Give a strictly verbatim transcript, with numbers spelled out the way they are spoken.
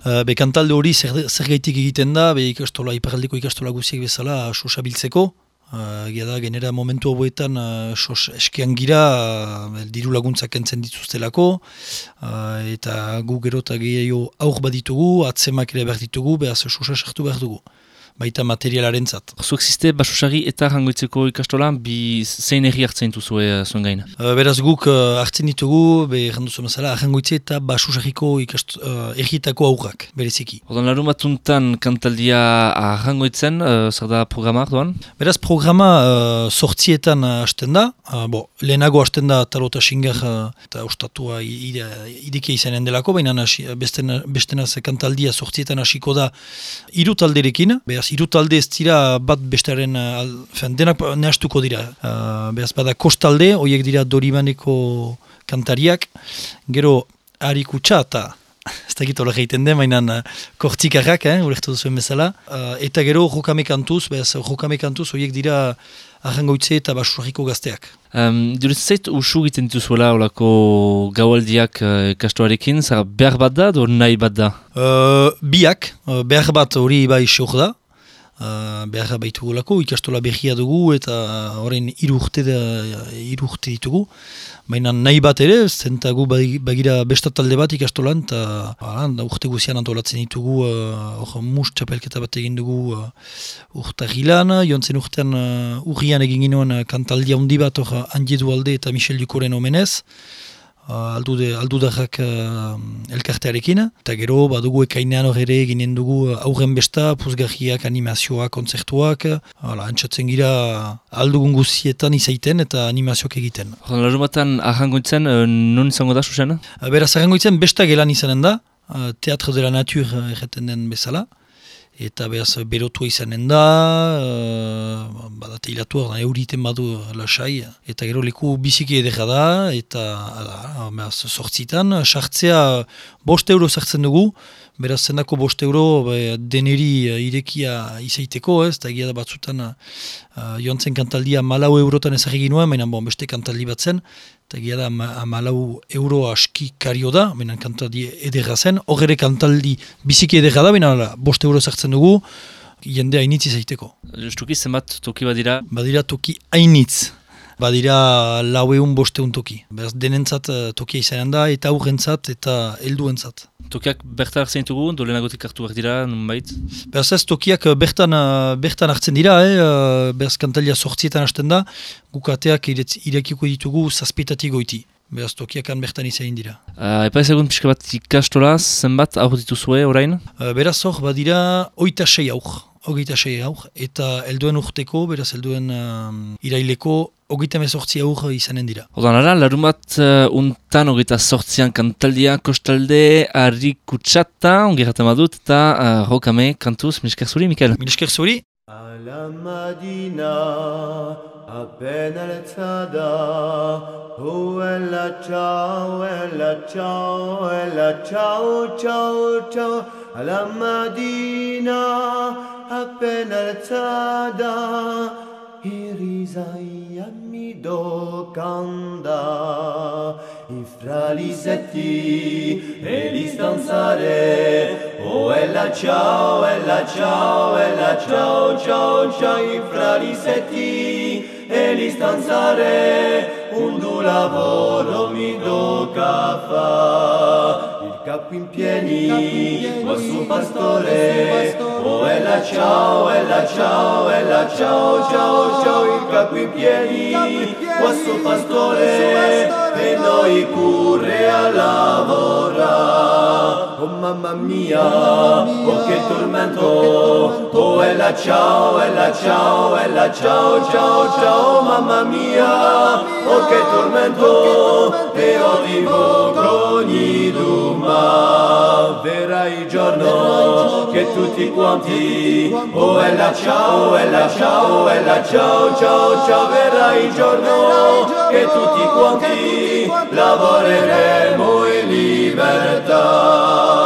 Uh, be kantalde hori zer, zer gaitik egiten da, be ikastola, iparraldeko ikastola guziek bezala sosa biltzeko. Uh, Gira da, genera momentu hauetan uh, sos eskean gira, uh, diru laguntzak entzen dituztelako, uh, eta gu gero eta gehiago aur baditugu, atzemak ere behar ditugu, behaz sosa sartu behar dugu. Baita materialaren zat. Zuek ziste Basusarri eta Arrangoitzeko ikastola, bi zein erri hartzen duzue uh, zuen gain? Uh, beraz guk uh, hartzen ditugu, be erranduzu mazala, Arrangoitze eta Basusarriko uh, erritako aurrak, bereziki. Ordan larun batuntan kantaldia Arrangoitzen, uh, zer da programa arduan? Beraz programa uh, sortzietan uh, hasten da, uh, bo, lehenago hasten da Talota Xingar uh, eta ostatua idekia izanen delako, baina bestena, bestenaz kantaldia sortzietan hasiko da hiru talderekin, beraz hiru talde ez dira bat bestearen, uh, denak nehastuko dira. Uh, beraz bada kostalde, horiek dira Doribaneko kantariak, gero Arikutsa eta ez dakit hola egiten den, mainan uh, kortzikarrak, eh, ulertu duzuen bezala, uh, eta gero Rokame kantuz, beraz Rokame kantuz horiek dira Arrangoitze eta Basusarriko gazteak. Um, Duret zait usu egiten dituzuela olako gaualdiak uh, ikastoarekin, zara behar bat da, do nahi bat da? Uh, biak, uh, behar bat hori bai seor da, Uh, behar baitugulako, ikastola behia dugu eta horrein hiru urte, hiru urte ditugu. Baina nahi bat ere, zentagu bagira bestatalde bat ikastolan, eta urte guzian antolatzen ditugu, uh, mus txapelketa bat egin dugu uh, urtahilan, jontzen urtean uh, urrian egin ginoen uh, kantaldia handi bat hor Andiedu alde eta Michel Dukoren omenez. Uh, aldude, aldudarrak uh, elkartearekin, eta gero badugu ekainean hor ere ginen dugu aurren besta, puzgarriak, animazioak, kontzertuak, hala, antxatzen gira aldugun guzietan izaiten eta animazioak egiten. Larun batan Arrangoitzen, uh, non izango da, Susana? Uh, beraz, Arrangoitzen besta gelan izanen da, uh, Teatre de la Nature uh, erreten den bezala, eta behaz berotua izanen da, uh, badate hilatuak, euriten badu lasai, eta gero leku biziki edera da, eta behaz sortzitan, sartzea bost euro sartzen dugu, beraz zendako bost euro be, deneri uh, irekia izaiteko, ez, eta egia da batzutan uh, joan zen kantaldia malau eurotan ezagri ginuen, baina bon, beste kantaldi bat zen, eta egia da malau euro aski kario da, baina kantaldi edera zen, horre kantaldi biziki edera da, baina bost euro sartzen dugu, jende hainitz izaiteko. Justuki zenbat toki badira? Badira toki hainitz. Badira lau egun bosteun toki. Beraz denentzat tokia izanen da, eta aurrentzat eta helduentzat. Tokiak bertan hartzen ditugu, dolenagotik hartu behar dira, nunbait? Beraz ez, tokiak bertan, bertan hartzen dira, eh? Beraz kantalia sortzietan hasten da, gukateak irekiko ditugu zazpitatik goiti. Beraz tokiakan bertan izain dira. Uh, Epa ezagun pixka bat ikastola, zenbat aur dituzue orain? Uh, beraz hor, badira oita sei aur. Hogeita sei aur, eta helduen urteko, beraz helduen uh, iraileko, hogeita mezortzi aur izanen dira. Odan ara, larun bat uh, untan hogeita sortzian kantaldia, kostalde, Arikutsata, ongerraten badut, eta uh, Rokame kantuz, Milesker zuri, Mikel? Milesker zuri. Ala Madina, appena alzada, oh ella ciao, ella ciao, ella ciao, ciao, ciao, alla Madina, appena alzada, i risaia mi docanda, i fralisetti e li stanzare, oh ella ciao, ella ciao, ella ciao, ciao, ciao, i fralisetti e li stanzare, un du lavoro mi tocca fa. Capo in piedi, o su pastore, oh ella ciao, ella ciao, ella ciao, ciao, ciao, il capo in piedi, o su pastore, e noi pure a lavorare. Oh mamma mia, oh che tormento, oh ella ciao, ella ciao, ella ciao, ciao, ciao, mamma mia, oh che tormento, e io vivo ogni ma verrà il giorno che tutti quanti oh ella ciao, ella ciao, ella ciao, ciao, ciao, verrà il giorno che tutti quanti lavoreremo in libertà.